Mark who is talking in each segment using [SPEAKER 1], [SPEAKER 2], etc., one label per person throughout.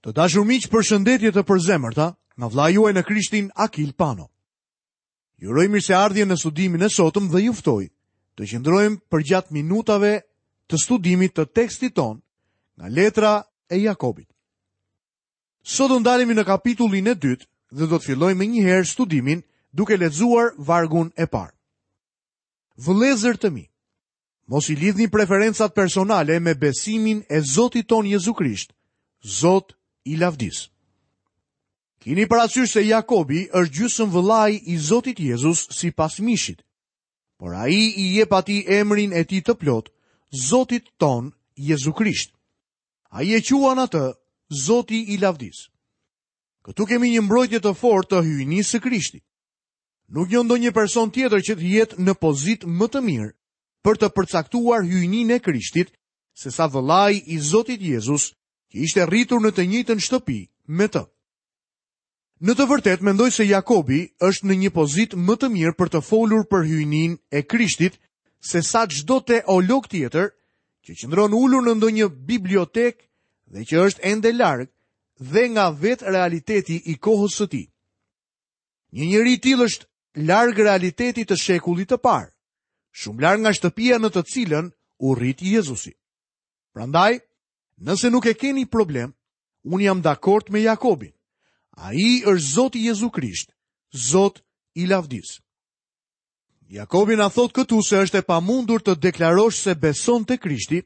[SPEAKER 1] Të dashur miq, përshëndetje të përzemërta nga vëllai juaj në Krishtin Akil Pano. Ju uroj mirëseardhje në studimin e sotëm dhe ju ftoj të qëndrojmë përgjatë minutave të studimit të tekstit tonë nga letra e Jakobit. Sot do ndalemi në kapitullin e dytë dhe do të fillojmë menjëherë studimin duke lexuar vargun e parë. Vëllezër të mi, Mos i lidhni preferencat personale me besimin e Zotit tonë Jezu Krisht, Zot i lavdisë. Kini parasysh se Jakobi është gjysëm vëllai i Zotit Jezus sipas mishit, por ai i jep atij emrin e tij të plotë, Zotit tonë Jezu Krisht. Ai e quan atë Zoti i lavdisë. Këtu kemi një mbrojtje të fortë të hyjnisë së Krishtit. Nuk njoh ndonjë person tjetër që të jetë në pozitë më të mirë për të përcaktuar hyjninë e Krishtit sesa vëllai i Zotit Jezus, që ishte rritur në të njëjtën shtëpi me të. Në të vërtetë mendoj se Jakobi është në një pozitë më të mirë për të folur për hyjninë e Krishtit sesa çdo teolog tjetër që qëndron ulur në ndonjë bibliotekë dhe që është ende larg dhe nga vetë realiteti i kohës së tij. Një njeri i tillë është larg realitetit të shekullit të parë, shumë larg nga shtëpia në të cilën u rrit Jezusi. Prandaj, nëse nuk e keni problem, unë jam dakord me Jakobin. Ai është Zoti Jezu Krisht, Zot i lavdisë. Jakobi na thotë këtu se është e pamundur të deklarosh se beson te Krishti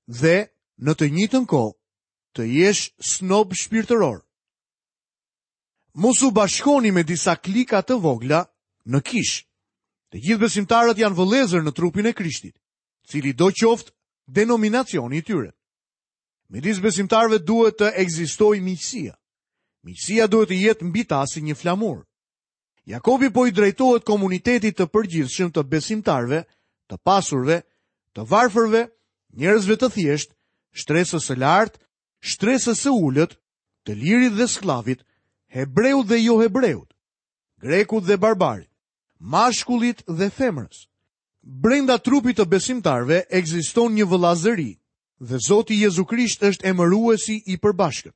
[SPEAKER 1] dhe në të njëjtën kohë të jesh snob shpirtëror. Mos u bashkoni me disa klika të vogla në kishë. Të gjithë besimtarët janë vëllezër në trupin e Krishtit, cilido qoftë denominacioni i tyre. Midis besimtarëve duhet të ekzistojë miqësia. Miqësia duhet të jetë mbi ta si një flamur. Jakobi po i drejtohet komunitetit të përgjithshëm të besimtarëve, të pasurve, të varfërve, njerëzve të thjeshtë, shtresës së lartë, shtresës së ulët, të lirit dhe skllavit, hebreut dhe johebreut, grekut dhe barbarit, mashkullit dhe femrës. Brenda trupit të besimtarëve ekziston një vëllazëri dhe Zoti Jezu Krisht është emëruesi i përbashkët.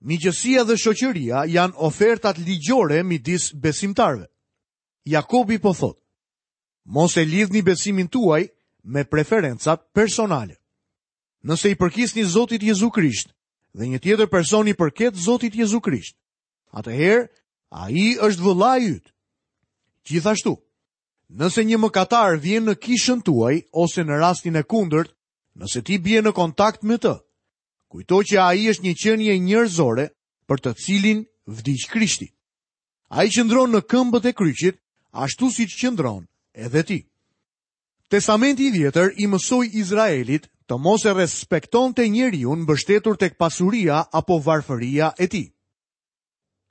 [SPEAKER 1] Miqësia dhe shoqëria janë ofertat ligjore midis besimtarëve. Jakobi po thotë: Mos e lidhni besimin tuaj me preferencat personale. Nëse i përkisni Zotit Jezu Krisht dhe një tjetër person i përket Zotit Jezu Krisht, atëherë ai është vëllai yt. Gjithashtu, nëse një mëkatar vjen në kishën tuaj ose në rastin e kundërt, nëse ti bie në kontakt me të, kujto që ai është një qenie njerëzore për të cilin vdiq Krishti. Ai qëndron në këmbët e kryqit, ashtu siç qëndron edhe ti. Testamenti i Vjetër i mësoi Izraelit të mos e respektonte njeriun mbështetur tek pasuria apo varfëria e tij.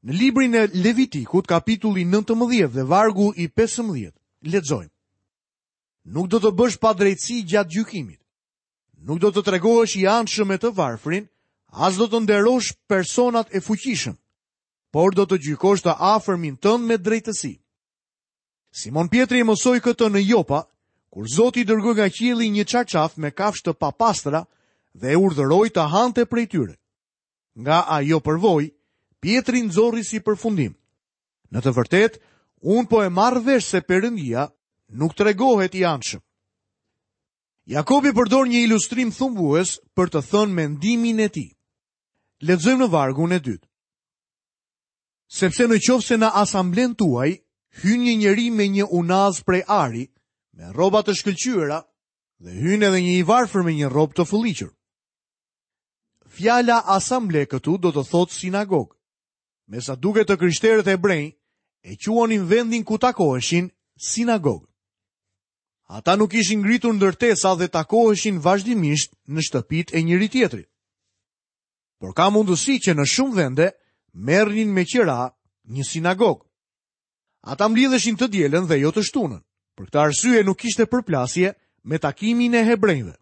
[SPEAKER 1] Në librin e Levitikut, kapitulli 19 dhe vargu i 15, lexojmë. Nuk do të bësh padrejtësi gjatë gjykimit. Nuk do të tregohesh i anshëm me të varfrin, as do të nderosh personat e fuqishëm, por do të gjykosh të afërmin tënd me drejtësi. Simon Pjetri e mësoi këtë në Jopa, kur Zoti i dërgoi nga qielli një çarçaf me kafshë të papastra dhe e urdhëroi të hante prej tyre. Nga ajo përvojë, Pjetri nxori si përfundim. Në të vërtetë, unë po e marr vesh se Perëndia nuk tregohet i anshëm. Jakobi përdor një ilustrim thumbues për të thënë mendimin e tij. Lexojmë në vargun e dytë. Sepse në qoftë se në asamblenë tuaj hyn një njeri me një unazë prej ari, me rroba të shkëlqyera, dhe hyn edhe një i varfër me një rrobë të fëlliqur. Fjala asamble këtu do të thotë sinagogë. Me sa duket të krishterët hebrenj e quanin vendin ku takoheshin sinagogë. Ata nuk kishin ngritur ndërtesa dhe takoheshin vazhdimisht në shtëpitë e njëri-tjetrit. Por ka mundësi që në shumë vende merrnin me qira një sinagogë. Ata mblidheshin të dielën dhe jo të shtunën. Për këtë arsye nuk kishte përplasje me takimin e hebrenjve.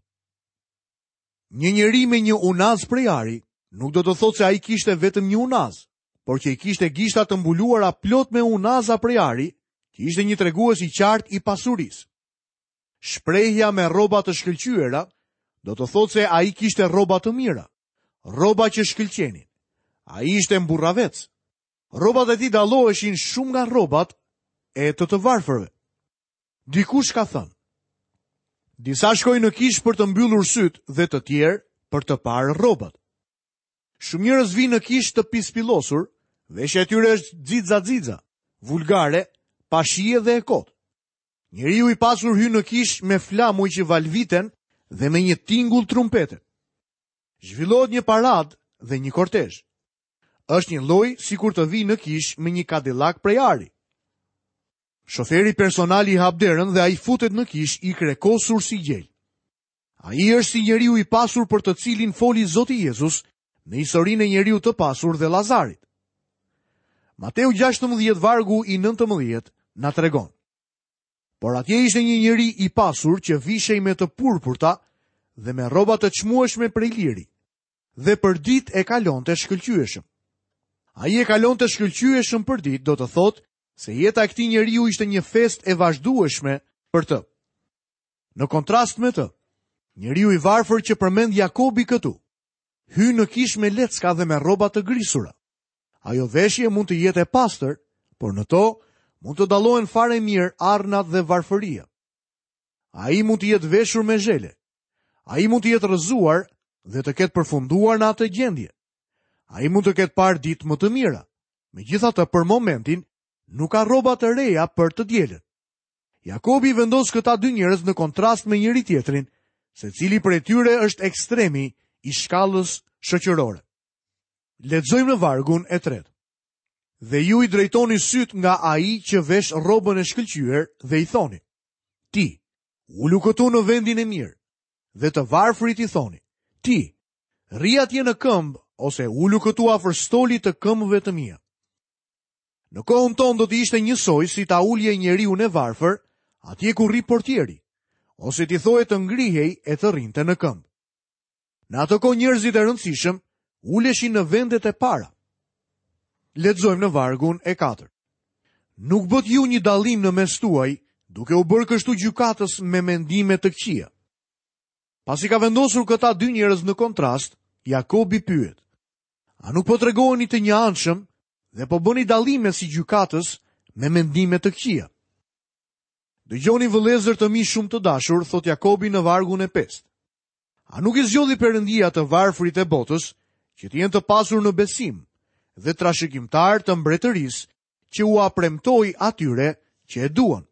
[SPEAKER 1] Një njeri me një unazë prej ari nuk do të thotë se ai kishte vetëm një unazë, por që i kishte gishtat të mbuluara plot me unaza prej ari, që ishte një tregues i qartë i pasurisë. Shprehja me rroba të shkëlqyera do të thotë se ai kishte rroba të mira, rroba që shkëlqenin. Ai ishte mburravec. Rrobat e tij dalloheshin shumë nga rrobat e të të varfërve. Dikush ka thënë, disa shkojnë në kishë për të mbyllur sytë dhe të tjerë për të parë rrobat. Shumë njerëz vijnë në kishë të pispillosur, veshja e tyre është xixa-xixa, vulgare, pa shije dhe e kotë. Njeriu i pasur hyn në kishë me flamuj që valviten dhe me një tingull trumpete. Zhvillohet një paradë dhe një kortezh. Është njëlloj sikur të vijë në kishë me një Cadillac prej ari. Shoferi personal i hap derën dhe ai futet në kishë i krekosur si gjel. Ai është si njeriu i pasur për të cilin foli Zoti Jezus në historinë e njeriut të pasur dhe Lazarit. Mateu 16 vargu i 19 na tregon. Por atje ishte një njeri i pasur që vishej me të purpurta dhe me rroba të çmueshme prej liri dhe përditë e kalonte shkëlqyeshëm. Ai e kalonte shkëlqyeshëm përditë, do të thotë se jeta e këtij njeriu ishte një festë e vazhdueshme për të. Në kontrast me të, njeriu i varfër që përmend Jakobi këtu, hyn në kishë me lecka dhe me rroba të grisura. Ajo veshje mund të jetë e pastër, por në to mund të dallohen fare mirë arnat dhe varfëria. Ai mund të jetë veshur me zhele. Ai mund të jetë rrëzuar dhe të ketë përfunduar në atë gjendje. Ai mund të ketë parë ditë më të mira. Megjithatë, për momentin, nuk ka rroba të reja për të dielën. Jakobi i vendos këta dy njerëz në kontrast me njëri-tjetrin, secili prej tyre është ekstremi i shkallës shoqërore. Lexojmë në vargun e tretë. Dhe ju i drejtoni sytë nga ai që vesh rrobën e shkëlqyer dhe i thoni: Ti, ulu këtu në vendin e mirë. Dhe të varfrit i thoni: Ti, rri atje në këmbë ose ulu këtu afër stolit të këmbëve të mia. Në kohën tonë do të ishte njësoj si ta ulje njeriun e varfër atje ku rri portieri, ose t'i thoje të ngrihej e të rrinte në këmbë. Në atë kohë njerëzit e rëndësishëm uleshin në vendet e para. Lexojmë në vargun e 4. Nuk bëtë ju një dallim në mes tuaj, duke u bërë kështu gjykatës me mendime të këqija. Pasi ka vendosur këta dy njerëz në kontrast, Jakobi pyet: A nuk po tregoheni të njëanshëm dhe po bëni dallime si gjykatës me mendime të këqija? Dëgjoni vëllezër të mi shumë të dashur, thotë Jakobi në vargun e pestë. A nuk i zgjodhi Perëndia të varfrit e botës që të jenë të pasur në besim dhe trashëgimtarë të mbretërisë që ua premtoi atyre që e duan?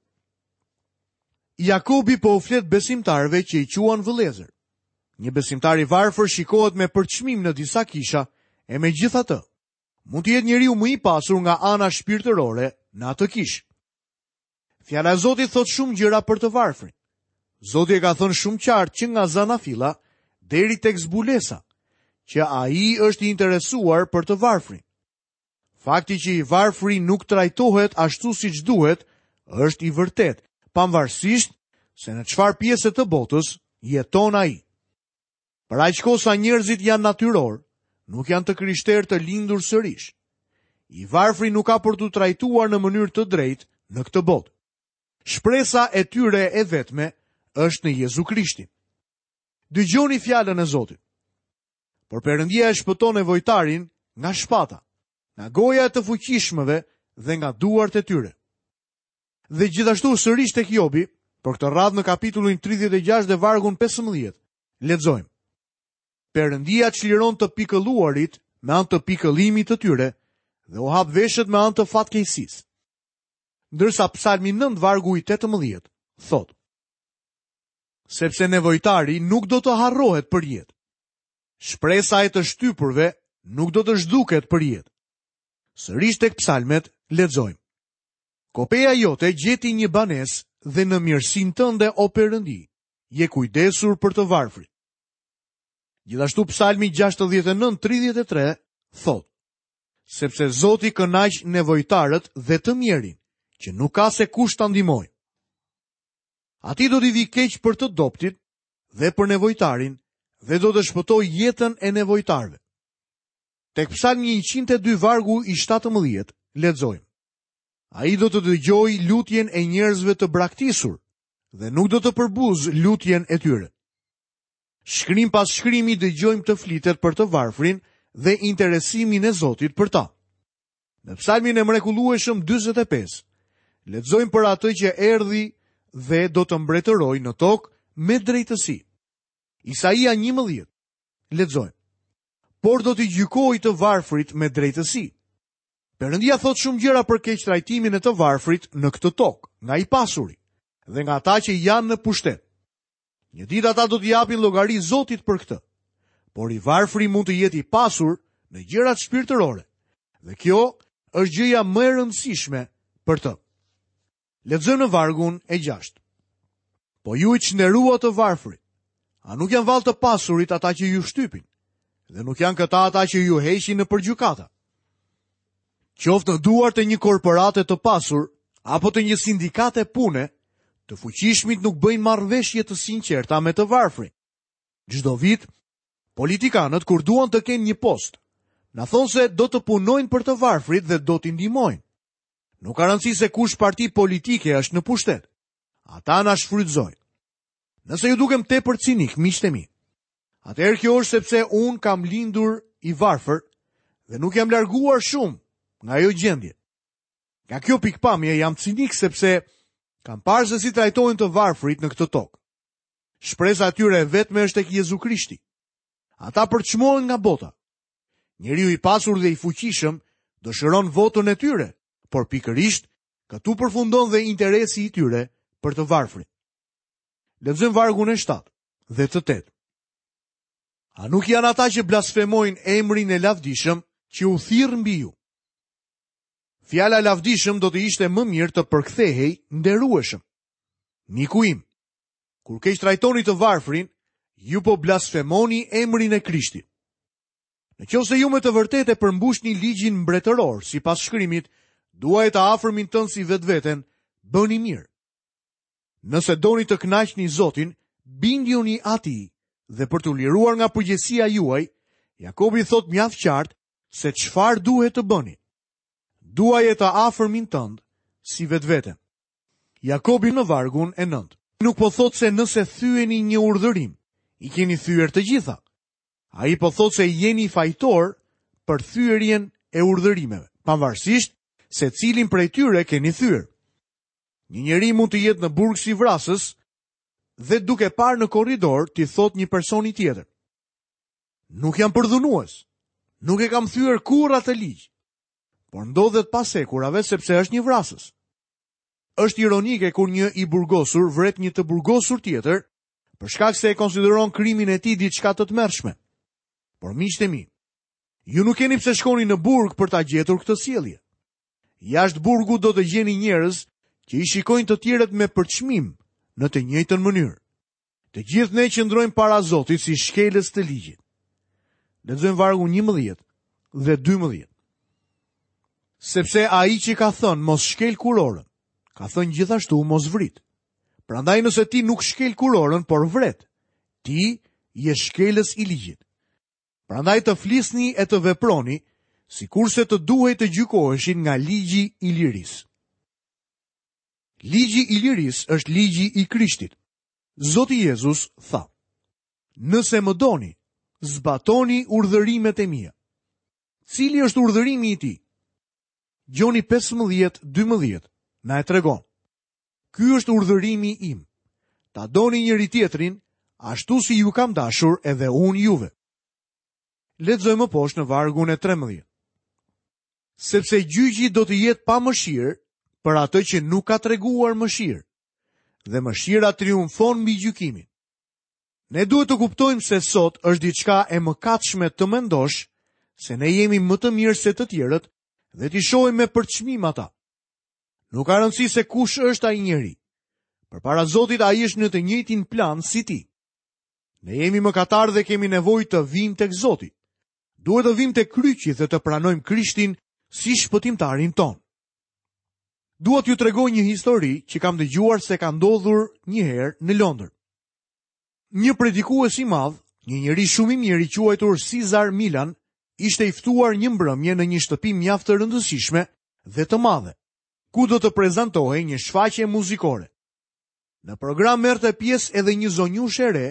[SPEAKER 1] Jakobi po u flet besimtarëve që i quan vëllezër. Një besimtar i varfër shikohet me përçmim në disa kisha, e megjithatë, mund të jetë njeriu më i pasur nga ana shpirtërore në atë kishë. Fjala e Zotit thotë shumë gjëra për të varfrin. Zoti e ka thënë shumë qartë që nga zanafilla deri tek zbulesa, që ai është i interesuar për të varfrin. Fakti që i varfri nuk trajtohet ashtu siç duhet është i vërtetë, pavarësisht se në çfarë pjese të botës jeton ai. Për aq kohë sa njerëzit janë natyrorë, nuk janë të krishterë të lindur sërish. I varfri nuk ka për t'u trajtuar në mënyrë të drejtë në këtë botë. Shpresa e tyre e vetme është në Jezu Krishtin. Dëgjoni fjalën e Zotit. Por Perëndia e shpëton nevojtarin nga shpata, nga goja e të fuqishmëve dhe nga duart e tyre. Dhe gjithashtu sërish tek Jobi, por këtë radhë në kapitullin 36 dhe vargun 15, lexojmë. Perëndia çliron të pikëlluarit me anë të pikëllimit të tyre dhe u hap veshët me anë të fatkeqësisë. Ndërsa Psalmi 9 vargu i 18 thotë: Sepse nevojtari nuk do të harrohet përjetë. Shpresa e të shtypurve nuk do të zhduket përjetë. Sërish tek psalmet lexojmë. Kopeja jote gjeti një banesë dhe në mirësinë tënde o Perëndi, je kujdesur për të varfrit. Gjithashtu psalmi 69:33 thotë: Sepse Zoti kënaq nevojtarët dhe të mjerin, që nuk ka se kush ta ndihmojë. Atij do t'i vijë keq për të dobëtit dhe për nevojtarin dhe do të shpëtojë jetën e nevojtarëve. Tek psalmi 102 vargu i 17 lexojmë. Ai do të dëgjojë lutjen e njerëzve të braktisur dhe nuk do të përbuzë lutjen e tyre. Shkrim pas shkrimi dëgjojmë të flitet për të varfrin. dhe interesimin e Zotit për ta. Në psalmin e mrekullueshëm 45, lexojmë për atë që erdhi dhe do të mbretërojë në tokë me drejtësi. Isaia 11, lexojmë. Por do t'i gjykojë të varfrit me drejtësi. Perëndia thotë shumë gjëra për keqtrajtimin e të varfrit në këtë tokë, nga i pasuri dhe nga ata që janë në pushtet. Një ditë ata do t'i japin llogari Zotit për këtë. Por i varfri mund të jetë i pasur në gjërat shpirtërore. Dhe kjo është gjëja më e rëndësishme për të. Lexojmë në vargun e 6. Po ju i çnderuat të varfrit. A nuk janë vallë të pasurit ata që ju shtypin? Dhe nuk janë këta ata që ju heqin nëpër gjykata? Qoftë në duart e një korporate të pasur apo të një sindikate pune, të fuqishmit nuk bëjnë marrëveshje të sinqerta me të varfrin. Çdo vit, politikanët kur duan të kenë një post, na thonë se do të punojnë për të varfrit dhe do t'i ndihmojnë. Nuk ka rëndësi se kush parti politike është në pushtet. Ata na shfrytëzojnë. Nëse ju dukem tepër cinik, miqtë e mi, atëherë kjo është sepse unë kam lindur i varfër dhe nuk jam larguar shumë nga ajo gjendje. Nga kjo pikëpamje jam cinik sepse kam parë se si trajtohen të varfrit në këtë tokë. Shpresa e tyre e vetme është tek Jezu Krishti. Ata përçmohen nga bota. Njeriu i pasur dhe i fuqishëm dëshiron votën e tyre, por pikërisht këtu përfundon dhe interesi i tyre për të varfrit. Lexojmë vargun e 7 dhe të 8. A nuk janë ata që blasfemojnë emrin e lavdishëm që u thirr mbi ju? Fjala lavdishëm do të ishte më mirë të përkthehej nderueshëm. Miku im, kur keqtrajtoni të varfrin, ju po blasfemoni emrin e Krishtit. Në qoftë se ju me të vërtetë e përmbushni ligjin mbretëror, sipas shkrimit, duaje të afërmin tënd si vetveten, bëni mirë. Nëse doni të kënaqni Zotin, bindjuni atij dhe për t'u liruar nga përgjegjësia juaj, Jakobi thotë mjaft qartë se çfarë duhet të bëni. Duaje të afërmin tënd si vetveten. Jakobi në vargun e 9. Nuk po thotë se nëse thyeni një urdhërim, i keni thyer të gjitha. Ai po thotë se jeni fajtor për thyerjen e urdhërimeve, pavarësisht se cilin prej tyre keni thyer. Një njeri mund të jetë në burg si vrasës dhe duke parë në korridor t'i thotë një personi tjetër. Nuk jam përdhunues. Nuk e kam thyer kurrë atë ligj. Por ndodhet pas hekurave sepse është një vrasës. Është ironike kur një i burgosur vret një të burgosur tjetër për shkak se e konsideron krimin e tij diçka të tmerrshme. Por miqtë e mi, ju nuk keni pse shkoni në burg për ta gjetur këtë sjellje. Jashtë burgut do të gjeni njerëz që i shikojnë të tjerët me përçmim në të njëjtën mënyrë. Të gjithë ne qëndrojmë para Zotit si shkelës të ligjit. Lexojmë vargun 11 dhe 12. Sepse ai që ka thënë mos shkel kurorën, ka thënë gjithashtu mos vrit. Prandaj nëse ti nuk shkel kurorën, por vret, ti je shkelës i ligjit. Prandaj të flisni e të veproni, sikurse të duhej të gjykoheshit nga ligji i lirisë. Ligji i lirisë është ligji i Krishtit. Zoti Jezus tha, Nëse më doni, zbatoni urdhërimet e mia. Cili është urdhërimi i tij? Gjoni 15, 12, na e tregon. Ky është urdhërimi im. Ta doni njëri-tjetrin, ashtu si ju kam dashur edhe unë juve. Lexojmë më poshtë në vargun e 13. Sepse gjyqi do të jetë pa mëshirë për atë që nuk ka treguar mëshirë, dhe mëshira triumfon mbi gjykimin. Ne duhet të kuptojmë se sot është diçka e mëkatshme të mendosh se ne jemi më të mirë se të tjerët dhe t'i shohim me përçmim ata. Nuk ka rëndësi se kush është ai njeri. Përpara Zotit ai është në të njëjtin plan si ti. Ne jemi mëkatarë dhe kemi nevojë të vijmë tek Zoti. Duhet të vijmë te kryqi dhe të pranojmë Krishtin si shpëtimtarin tonë. Dua t'ju tregoj një histori që kam dëgjuar se ka ndodhur një herë në Londër. Një predikues i madh, një njeri shumë i mirë i quajtur Cesar Milan, ishte i ftuar një mbrëmje në një shtëpi mjaft të rëndësishme dhe të madhe, ku do të prezantohej një shfaqje muzikore. Në program merrte pjesë edhe një zonjushë e re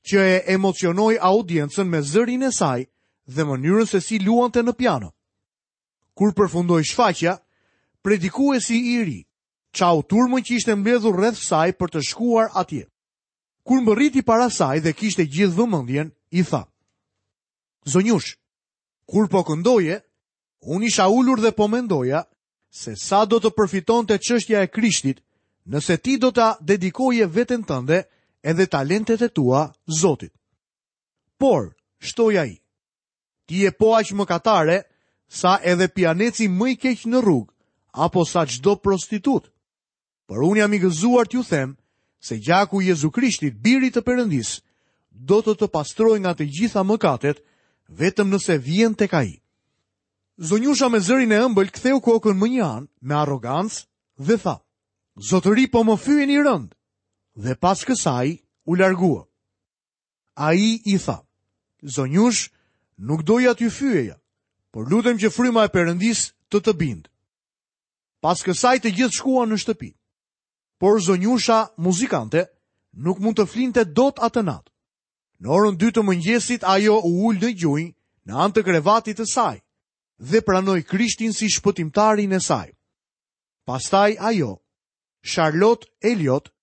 [SPEAKER 1] që e emocionoi audiencën me zërin e saj dhe mënyrën se si luante në piano. Kur përfundoi shfaqja, predikuesi i ri çau turmën që ishte mbledhur rreth saj për të shkuar atje. Kur mbërriti para saj dhe kishte gjithë vëmendjen, i tha: Zonjushë, kur po këndoje, unë isha ulur dhe po mendoja se sa do të përfitonte çështja e Krishtit, nëse ti do ta dedikoje veten tënde edhe talentet e tua Zotit. Por, shtoi ai, ti je po aq mëkatare sa edhe pijaneci më i keq në rrugë, apo sa çdo prostitutë. Por unë jam i gëzuar t'ju them se gjaku i Jezu Krishtit, birit të Perëndisë, do të të pastrojë nga të gjitha mëkatet, vetëm nëse vjen tek ai. Zonjusha me zërin e ëmbël ktheu kokën më një anë me arrogancë dhe tha: Zotëri po më fyeni rëndë. Dhe pas kësaj u largua. Ai i tha: Zonjushë, nuk doja t'ju fyeja, por lutem që fryma e Perëndisë të të bindë. Pas kësaj të gjithë shkuan në shtëpi. Por zonjusha muzikante nuk mund të flinte dot atë natë. Në orën 2 të mëngjesit ajo u ul në gjunjë në anë të krevatit të saj dhe pranoi Krishtin si shpëtimtarin e saj. Pastaj ajo, Charlotte Elliott,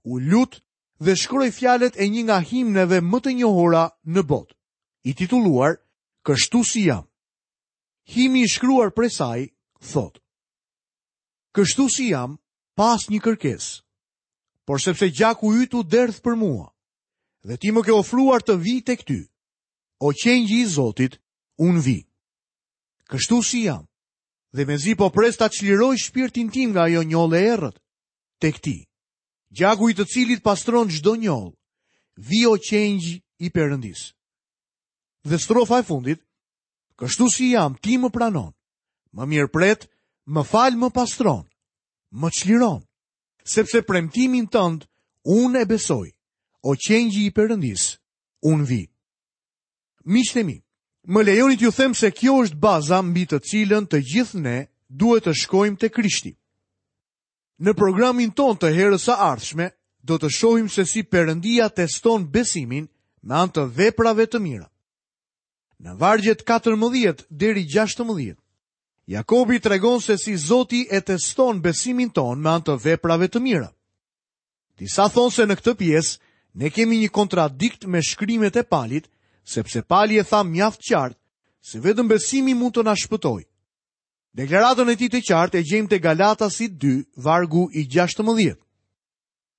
[SPEAKER 1] u lut dhe shkroi fjalët e një nga himneve më të njohura në botë, i titulluar Kështu si jam. Himni i shkruar prej saj thotë: Kështu si jam, pa asnjë kërkesë, por sepse gjaku yt u derdh për mua, dhe ti më ke ofruar të vij tek ty. O qengji i Zotit, unë vij. Kështu si jam, dhe mezi po pres ta çliroj shpirtin tim nga ajo njollë e errët, tek ti. Gjaku i të cilit pastron çdo njollë, vij o qengj i Perëndisë. Dhe strofa e fundit, Kështu si jam, ti më pranon. Më mirëpret, më fal, më pastron, më çliron. Sepse premtimin tënd unë e besoj. O qengji i Perëndisë, unë vij. Miqtë e mi, më lejoni t'ju them se kjo është baza mbi të cilën të gjithë ne duhet të shkojmë te Krishti. Në programin tonë të herës së ardhshme do të shohim se si Perëndia teston besimin me anë të veprave të mira. Në vargjet 14 deri 16, Jakobi tregon se si Zoti e teston besimin tonë me anë të veprave të mira. Disa thonë se në këtë pjesë ne kemi një kontradikt me shkrimet e Palit, sepse Pali e tha mjaft qartë se vetëm besimi mund të na shpëtojë. Deklaratën e tij të qartë e gjejmë te Galatasit 2, vargu i 16.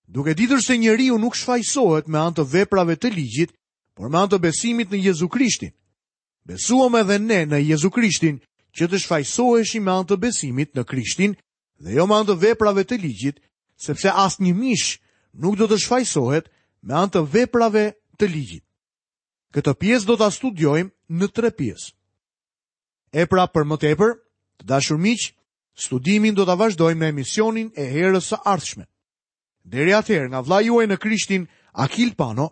[SPEAKER 1] Duke ditur se njeriu nuk shfajësohet me anë të veprave të ligjit, por me anë të besimit në Jezu Krishtin. Besuam edhe ne në Jezu Krishtin që të shfajësoheshim me anë të besimit në Krishtin dhe jo me anë të veprave të ligjit, sepse asnjë mish nuk do të shfajësohet me anë të veprave të ligjit. Këtë pjesë do ta studiojmë në tre pjesë. E pra për më tepër, të dashur miq, studimin do ta vazhdojmë në emisionin e herës së ardhshme. Deri atëherë, nga vëllai juaj në Krishtin, Akil Pano,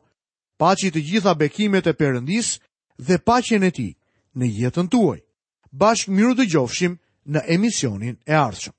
[SPEAKER 1] paçi të gjitha bekimet e Perëndisë dhe paqen e tij në jetën tuaj. Bashkë mirudëgjofshim në emisionin e ardhshëm.